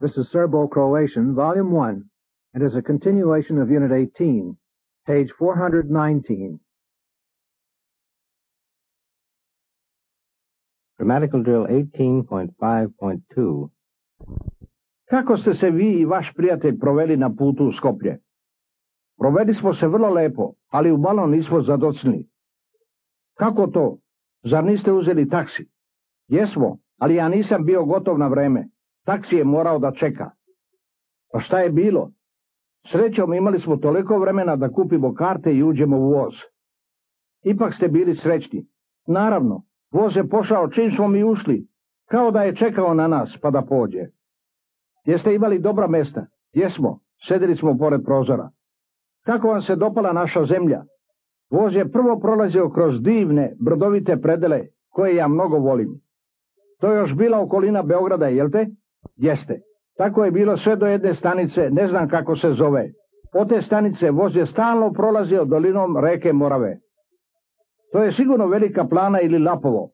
This is Serbo-Croatian, Volume 1, and is a continuation of Unit 18, page 419. Grammatical Drill 18.5.2. Kako ste se vi i vaš prijatelj proveli na putu u Skoplje? Proveli smo se vrlo lepo, ali u malo nismo zadocnili. Kako to? Zar niste uzeli taksi? Jesmo, ali ja nisam bio gotov na vreme. Taksi je morao da čeka. Pa šta je bilo? Srećom imali smo toliko vremena da kupimo karte i uđemo u voz. Ipak ste bili srećni. Naravno, voz je pošao čim smo mi ušli, kao da je čekao na nas pa da pođe. Jeste imali dobra mesta? Jesmo, sedeli smo pored prozora. Kako vam se dopala naša zemlja? Voz je prvo prolazio kroz divne, brdovite predele, koje ja mnogo volim. To je još bila okolina Beograda, jel te? Jeste. Tako je bilo sve do jedne stanice, ne znam kako se zove. Od te stanice voz je stalno prolazio dolinom reke Morave. To je sigurno Velika Plana ili Lapovo.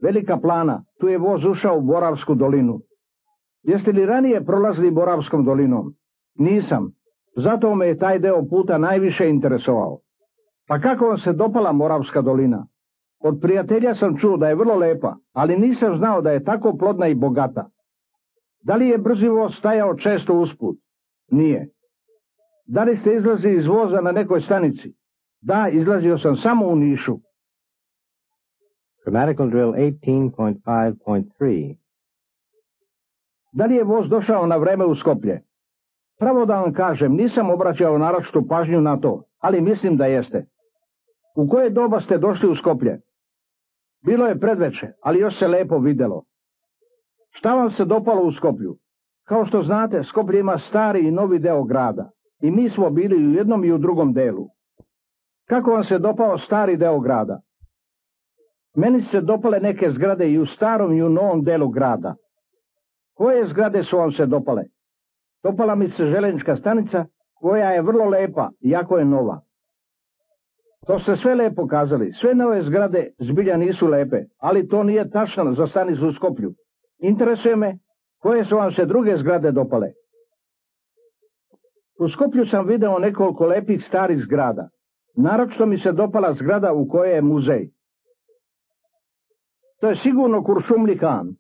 Velika Plana, tu je voz ušao u Moravsku dolinu. Jeste li ranije prolazili Moravskom dolinom? Nisam. Zato me je taj deo puta najviše interesovao. Pa kako vam se dopala Moravska dolina? Od prijatelja sam čuo da je vrlo lepa, ali nisam znao da je tako plodna i bogata. Da li je brzi voz stajao često usput? Nije. Da li ste izlazili iz voza na nekoj stanici? Da, izlazio sam samo u Nišu. Grammatical Drill 18.5.3. Da li je voz došao na vreme u Skoplje? Pravo da vam kažem, nisam obraćao naročitu pažnju na to, ali mislim da jeste. U koje doba ste došli u Skoplje? Bilo je predveče, ali još se lepo videlo. Šta vam se dopalo u Skoplju? Kao što znate, Skoplje ima stari i novi deo grada i mi smo bili u jednom i u drugom delu. Kako vam se dopao stari deo grada? Meni se dopale neke zgrade i u starom i u novom delu grada. Koje zgrade su vam se dopale? Dopala mi se željeznička stanica, koja je vrlo lepa, iako je nova. To ste sve lepo kazali, sve nove zgrade zbilja nisu lepe, ali to nije tačno za stanicu u Skoplju. Interesuje me, koje su vam se druge zgrade dopale? U Skoplju sam video nekoliko lepih starih zgrada. Naročito mi se dopala zgrada u kojoj je muzej. To je sigurno Kuršumli Han.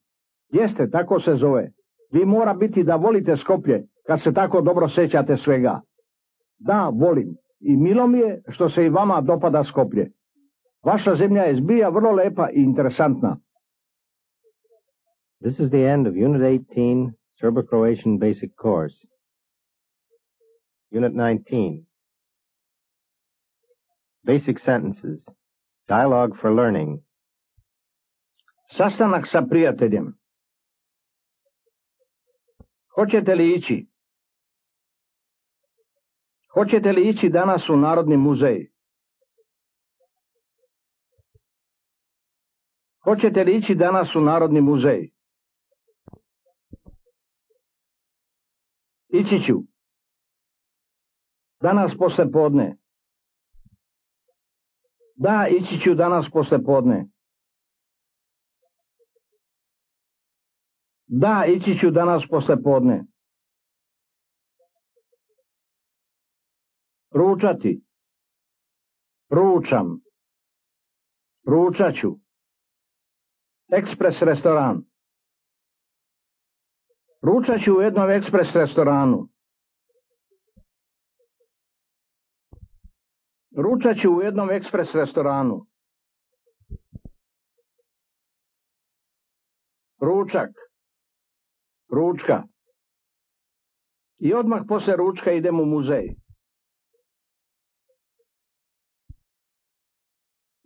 Jeste, tako se zove. Vi mora biti da volite Skoplje, kad se tako dobro sećate svega. Da, volim. I milo mi je što se i vama dopada Skoplje. Vaša zemlja je zbilja vrlo lepa i interesantna. This is the end of Unit 18, Serbo-Croatian Basic Course. Unit 19. Basic Sentences. Dialogue for Learning. Sastanak sa prijateljem. Hoćete li ići? Hoćete li ići danas u Narodni muzej? Hoćete li ići danas u Narodni muzej? Ići ću. Danas posle podne. Da, ići ću danas posle podne. Da, ići ću danas posle podne. Ručati. Ručam. Ručat ću. Ekspres restoran. Ručat ću u jednom ekspres restoranu. Ručat ću u jednom ekspres restoranu. Ručak. Ručka. I odmah posle ručka idem u muzej.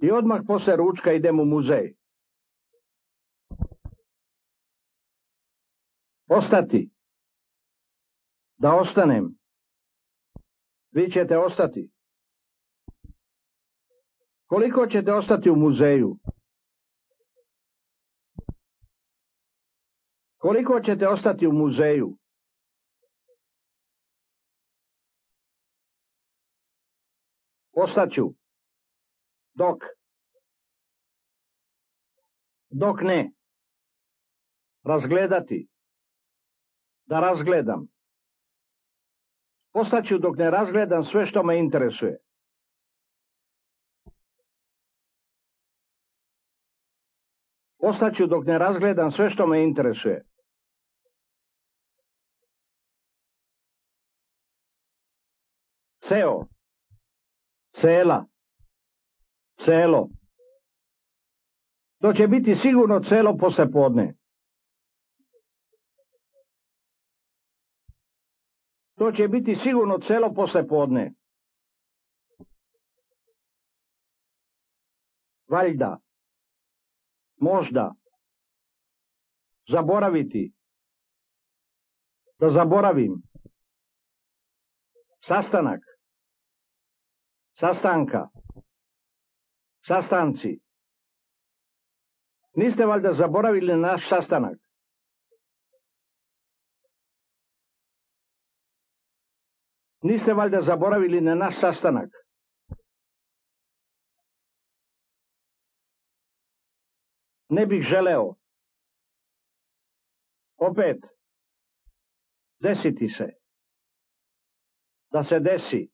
I odmah posle ručka idem u muzej. Ostati. Da ostanem. Vi ćete ostati. Koliko ćete ostati u muzeju? Koliko ćete ostati u muzeju? Ostaću. Dok. Dok ne. Razgledati. Da razgledam. Ostaću dok ne razgledam sve što me interesuje. Ostaću dok ne razgledam sve što me interesuje. Ceo, cela, celo. To će biti sigurno celo poslepodne. To će biti sigurno celo poslepodne. Valjda. Možda. Zaboraviti. Da zaboravim. Sastanak. Sastanka. Sastanci. Niste valjda zaboravili naš sastanak? Niste valjda zaboravili na naš sastanak? Ne bih želeo. Opet. Desiti se. Da se desi.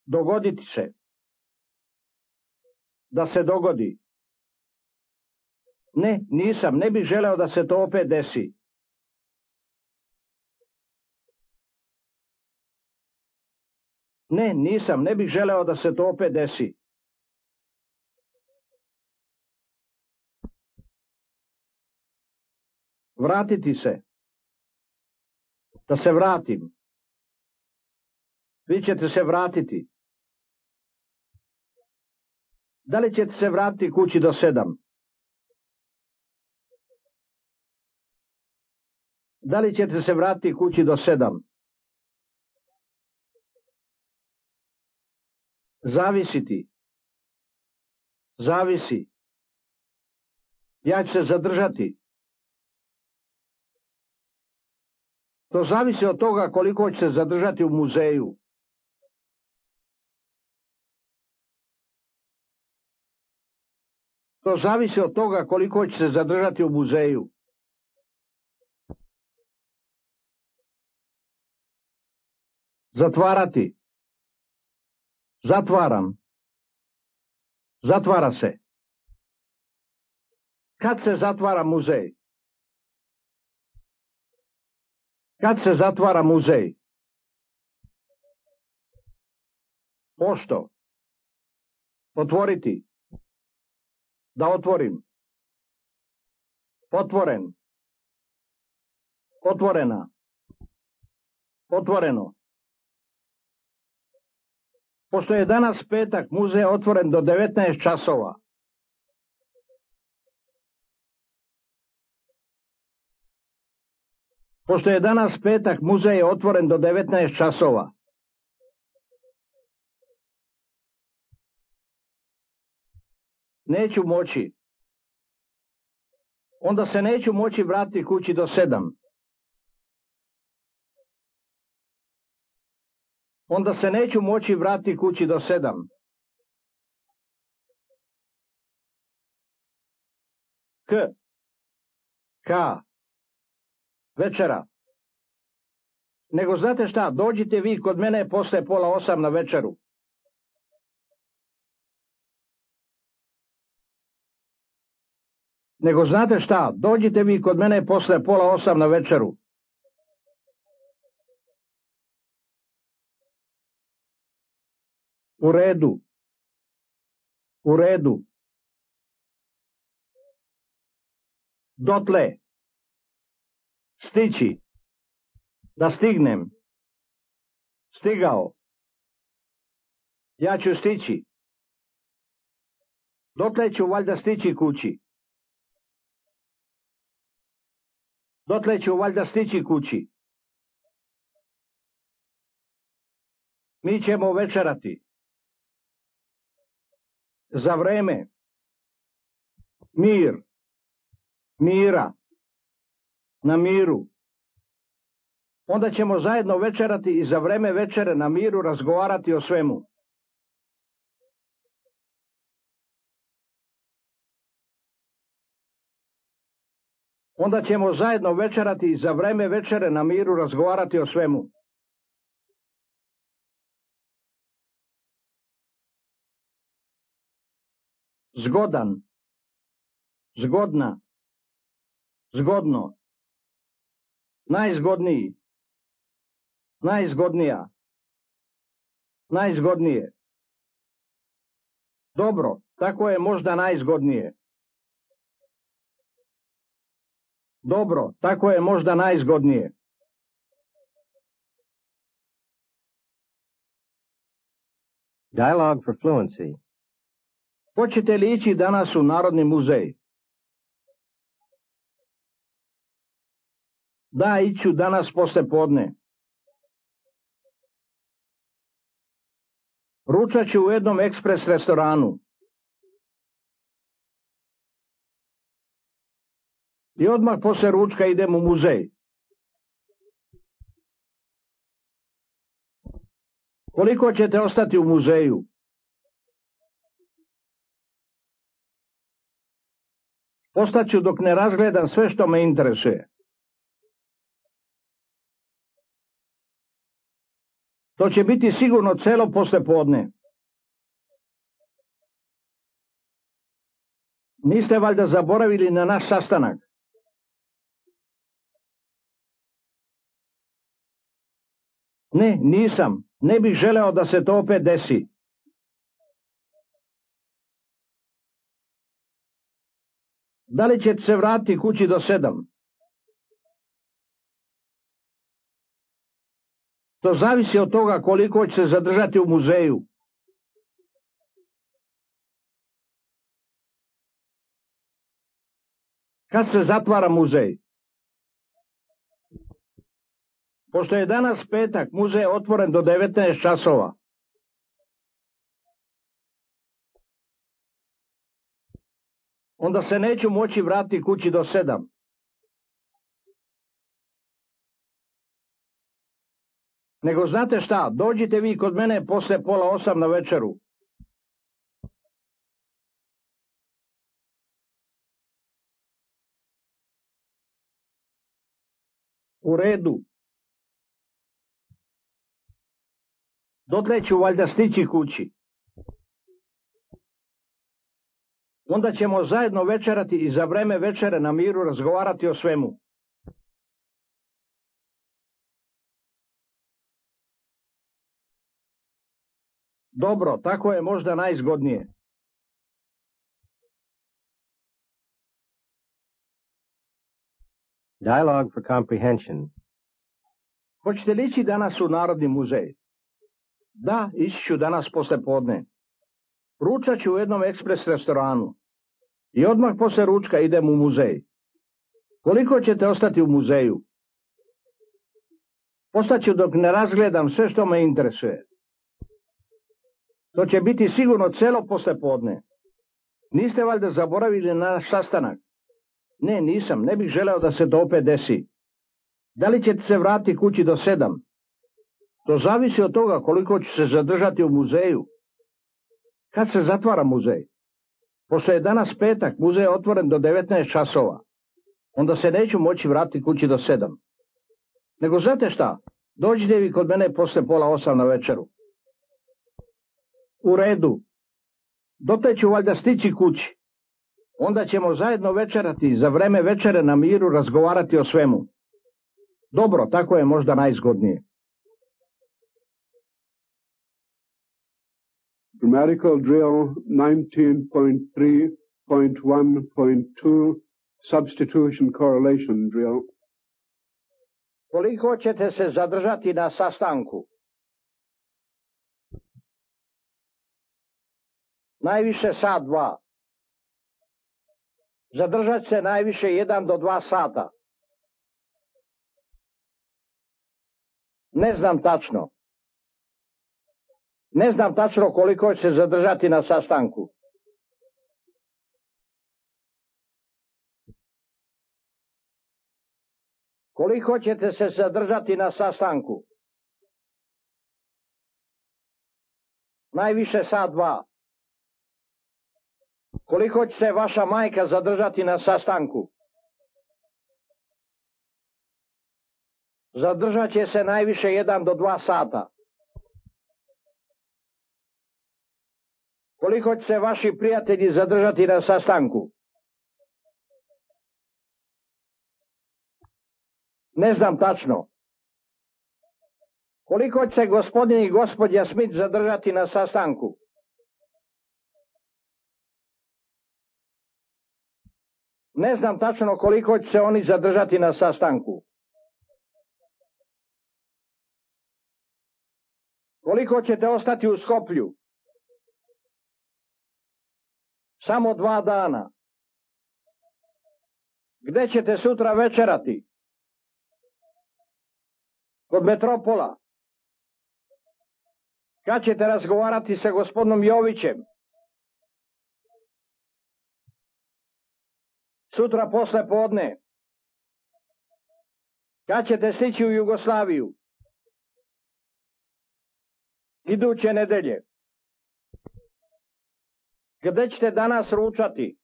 Dogoditi se. Da se dogodi. Ne, nisam. Ne bih želeo da se to opet desi. Ne, nisam. Ne bih želeo da se to opet desi. Vratiti se. Da se vratim. Vi ćete se vratiti. Da li ćete se vratiti kući do 7? Da li ćete se vratiti kući do 7? Zavisiti. Zavisi. Ja ću se zadržati. To zavisi od toga koliko će se zadržati u muzeju. To zavisi od toga koliko će se zadržati u muzeju. Zatvarati. Zatvaram. Zatvara se. Kad se zatvara muzej? Kad se zatvara muzej? Pošto? Otvoriti. Da otvorim. Otvoren. Otvorena. Otvoreno. Pošto je danas petak, muzej je otvoren do 19 časova. Pošto je danas petak, muzej je otvoren do 19 časova. Neću moći. Onda se neću moći vratiti kući do 7. Onda se neću moći vratiti kući do 7. K. K. Večera. Nego znate šta, dođite vi kod mene posle 7:30 na večeru. Nego znate šta, dođite vi kod mene posle 7:30 na večeru. U redu. U redu. Dotle. Stići. Da stignem. Stigao. Ja ću stići. Dotle ću valjda stići kući. Dotle ću valjda stići kući. Mi ćemo večerati. Za vreme. Mir. Mira. Na miru. Onda ćemo zajedno večerati i za vreme večere na miru razgovarati o svemu. Onda ćemo zajedno večerati i za vreme večere na miru razgovarati o svemu. Zgodan, zgodna, zgodno, najzgodniji, najzgodnija, najzgodnije. Dobro, tako je možda najzgodnije. Dobro, tako je možda najzgodnije. Dialogue for fluency. Hoćete li ići danas u Narodni muzej? Da, iću danas posle podne. Ručat ću u jednom ekspres restoranu. I odmah posle ručka idem u muzej. Koliko ćete ostati u muzeju? Ostaću dok ne razgledam sve što me interesuje. To će biti sigurno celo poslepodne. Niste valjda zaboravili na naš sastanak? Ne, nisam. Ne bih želeo da se to opet desi. Da li ćete se vratiti kući do 7? To zavisi od toga koliko će se zadržati u muzeju. Kad se zatvara muzej? Pošto je danas petak, muzej je otvoren do 19 časova. Onda se neću moći vratiti kući do 7. Nego znate šta, dođite vi kod mene posle 7:30 na večeru. U redu. Dotle ću valjda stići kući. Onda ćemo zajedno večerati i za vreme večere na miru razgovarati o svemu. Dobro, tako je možda najzgodnije. Dialogue for comprehension. Hoćete li ići danas u Narodni muzej? Da, ići ću danas posle podne. Ručat ću u jednom ekspres restoranu. I odmah posle ručka idem u muzej. Koliko ćete ostati u muzeju? Ostaću dok ne razgledam sve što me interesuje. To će biti sigurno celo poslepodne. Niste valjda zaboravili na naš sastanak? Ne, nisam. Ne bih želeo da se to opet desi. Da li ćete se vratiti kući do 7? To zavisi od toga koliko ću se zadržati u muzeju. Kad se zatvara muzej? Pošto je danas petak, muzej je otvoren do 19 časova. Onda se neću moći vratiti kući do 7. Nego znate šta? Dođite vi kod mene posle 7:30 na večeru. U redu. Dotle ću valjda stići kući. Onda ćemo zajedno večerati i za vreme večere na miru razgovarati o svemu. Dobro, tako je možda najzgodnije. Grammatical drill 19.3.1.2 Substitution correlation drill. Koliko ćete se zadržati na sastanku? Najviše sat, 2. Zadržat se najviše 1 do 2 sata. Ne znam tačno. Ne znam tačno koliko će se zadržati na sastanku. Koliko ćete se zadržati na sastanku? Najviše sat, 2. Koliko će se vaša majka zadržati na sastanku? Zadržat će se najviše 1 do 2 sata. Koliko će se vaši prijatelji zadržati na sastanku? Ne znam tačno. Koliko će se gospodin i gospođa Smith zadržati na sastanku? Ne znam tačno koliko će se oni zadržati na sastanku. Koliko ćete ostati u Skoplju? Samo 2 dana. Gde ćete sutra večerati? Kod Metropola. Kad ćete razgovarati sa gospodinom Jovićem? Sutra posle podne. Kad ćete stići u Jugoslaviju? Iduće nedelje. Gde ćete danas ručati?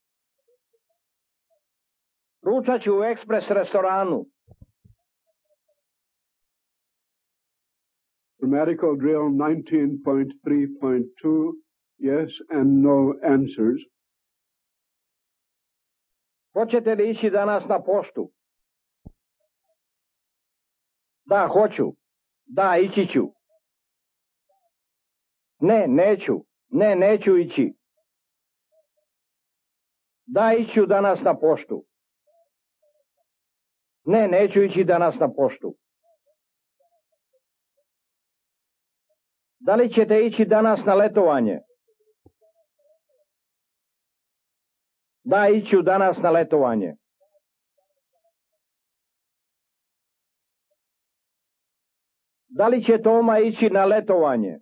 Ručat ću u ekspres restoranu. Grammatical drill 19.3.2, yes and no answers. Hoćete li ići danas na poštu? Da, hoću. Da, ići ću. Ne, neću. Ne, neću ići. Da, iću danas na poštu. Ne, neću ići danas na poštu. Da li ćete ići danas na letovanje? Da, iću danas na letovanje. Da li će Toma ići na letovanje?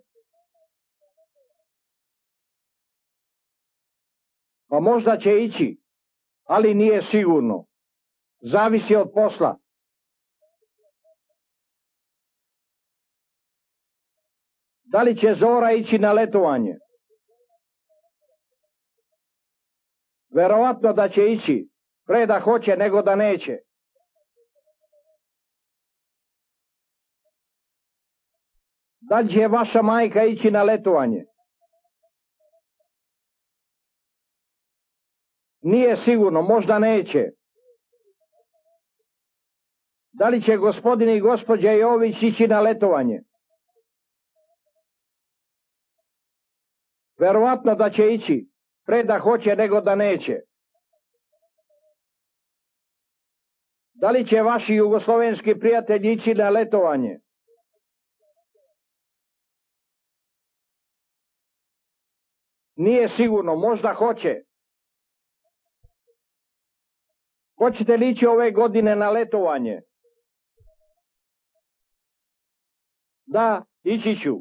Pa možda će ići, ali nije sigurno. Zavisi od posla. Da li će Zora ići na letovanje? Verovatno da će ići, pre da hoće nego da neće. Da li će vaša majka ići na letovanje? Nije sigurno, možda neće. Da li će gospodin i gospođa Jović ići na letovanje? Verovatno da će ići, pre da hoće nego da neće. Da li će vaši jugoslovenski prijatelji ići na letovanje? Nije sigurno, možda hoće. Hoćete li ići ove godine na letovanje? Da, ići ću.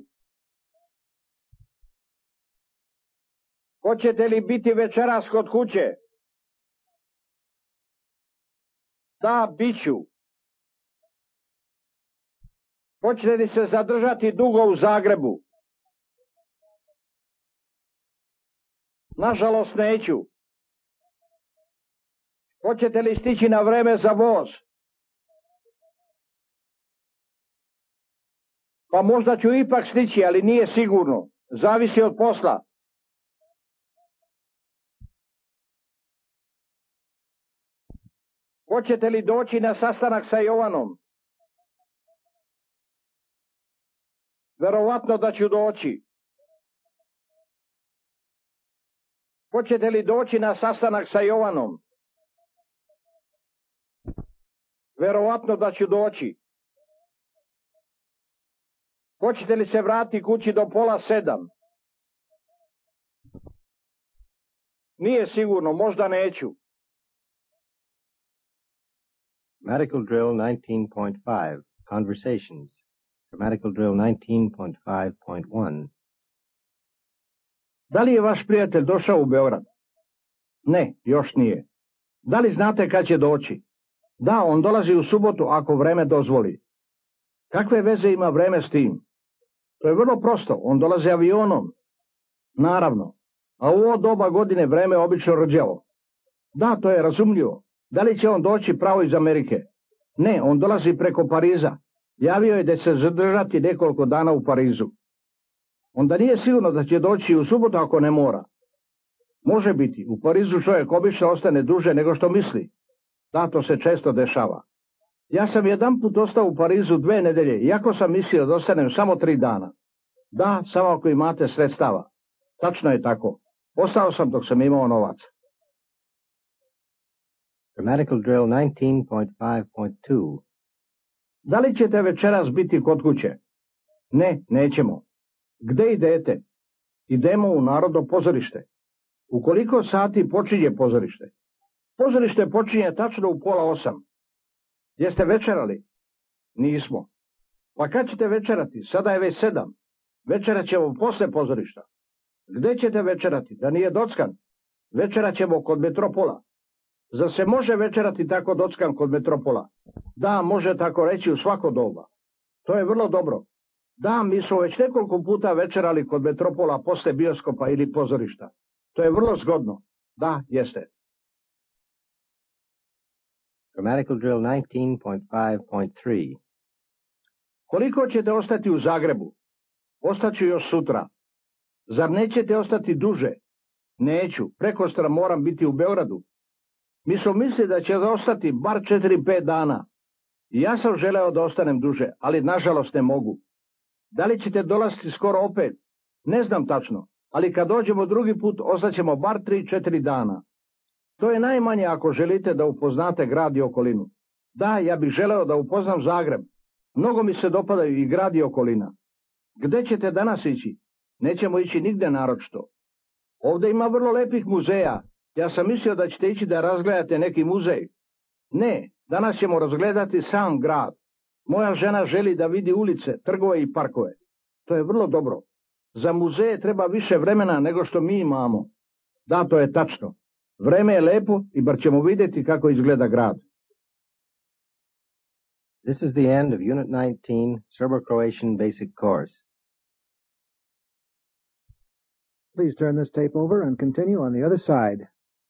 Hoćete li biti večeras kod kuće? Da, bit ću. Hoćete li se zadržati dugo u Zagrebu? Nažalost neću. Hoćete li stići na vreme za voz? Pa možda ću ipak stići, ali nije sigurno. Zavisi od posla. Hoćete li doći na sastanak sa Jovanom? Verovatno da ću doći. Hoćete li doći na sastanak sa Jovanom? Verovatno da ću doći. Hoćete li se vratiti kući do 6:30? Nije sigurno, možda neću. Grammatical drill 19.5, Conversations. Grammatical drill 19.5.1. Da li je vaš prijatelj došao u Beograd? Ne, još nije. Da li znate kad će doći? Da, on dolazi u subotu ako vreme dozvoli. Kakve veze ima vreme s tim? To je vrlo prosto, on dolazi avionom. Naravno, a u ovo doba godine vreme je obično rđavo. Da, to je razumljivo. Da li će on doći pravo iz Amerike? Ne, on dolazi preko Pariza. Javio je da će se zadržati nekoliko dana u Parizu. Onda nije sigurno da će doći u subotu ako ne mora. Može biti, u Parizu čovjek obično ostane duže nego što misli. Da, to se često dešava. Ja sam jedanput ostao u Parizu 2 nedelje, iako sam mislio da ostanem samo 3 dana. Da, samo ako imate sredstava. Tačno je tako. Ostao sam dok sam imao novac. Grammatical drill 19.5.2. Da li ćete večeras biti kod kuće? Ne, nećemo. Gde idete? Idemo u Narodno pozorište. U koliko sati počinje pozorište? Pozorište počinje tačno u 7:30. Jeste večerali? Nismo. Pa kad ćete večerati? Sada je već 7. Večerat ćemo posle pozorišta. Gde ćete večerati? Da nije dockan? Večerat ćemo kod Metropola. Zar se može večerati tako dockan kod Metropola? Da, može tako reći u svako doba. To je vrlo dobro. Da, mi smo već nekoliko puta večerali kod Metropola posle bioskopa ili pozorišta. To je vrlo zgodno. Da, jeste. Grammatical drill 19.5.3. Koliko ćete ostati u Zagrebu? Ostaću još sutra. Zar nećete ostati duže? Neću, prekostra moram biti u Beogradu. Mi smo mislili da će ostati bar 4-5 dana. I ja sam želeo da ostanem duže, ali nažalost ne mogu. Da li ćete dolaziti skoro opet? Ne znam tačno, ali kad dođemo drugi put ostaćemo bar 3-4 dana. To je najmanje ako želite da upoznate grad i okolinu. Da, ja bih želeo da upoznam Zagreb. Mnogo mi se dopadaju i grad i okolina. Gde ćete danas ići? Nećemo ići nigde naročito. Ovdje ima vrlo lepih muzeja. Ja sam mislio da ćete ići da razgledate neki muzej. Ne, danas ćemo razgledati sam grad. Moja žena želi da vidi ulice, trgove i parkove. To je vrlo dobro. Za muzeje treba više vremena nego što mi imamo. Da, to je tačno. Vreme je lepo i bar ćemo vidjeti kako izgleda grad. This is the end of Unit 19, Serbo-Croatian Basic Course. Please turn this tape over and continue on the other side.